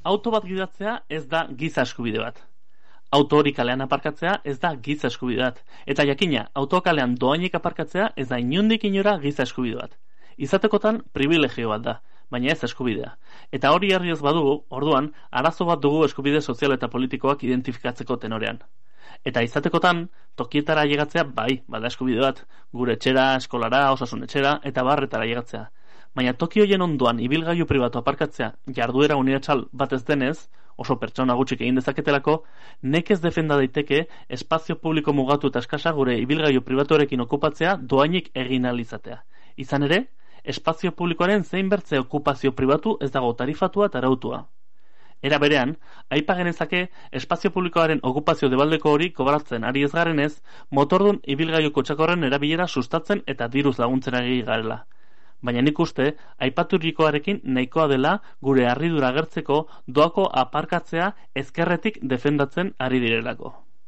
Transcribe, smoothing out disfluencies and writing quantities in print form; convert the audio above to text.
Auto bat gidatzea ez da giza eskubide bat. Auto hori kalean aparkatzea ez da giza eskubide bat. Eta jakina, auto kalean doainik aparkatzea ez da inondik inora giza eskubide bat. Izatekotan privilegio bat da, baina ez eskubidea. Eta hori herri ez badugu, orduan, arazo bat dugu eskubide sozial eta politikoak identifikatzeko tenorean. Eta izatekotan, tokietara llegatzea bai, bada eskubide bat, gure etxera, eskolara, osasun etxera, eta barretara llegatzea. Baina toki hoien ondoan ibilgailu pribatu aparkatzea jarduera unibertsal bat ez denez, oso pertsona gutxik egin dezaketelako, nekez defenda daiteke espazio publiko mugatu eta eskasa gure ibilgailu pribatuarekin okupatzea doainik egin ahal izatea. Izan ere, espazio publikoaren zein bertze okupazio pribatu ez dago tarifatua eta arautua. Era berean, aipa genezake espazio publikoaren okupazio debaldeko hori kobratzen ari ez garenez, motordun ibilgailu kotxakorren erabilera sustatzen eta diruz laguntzen ari garela. Baina nik uste, aipaturikoarekin nahikoa dela gure harridura agertzeko doako aparkatzea ezkerretik defendatzen ari direlako.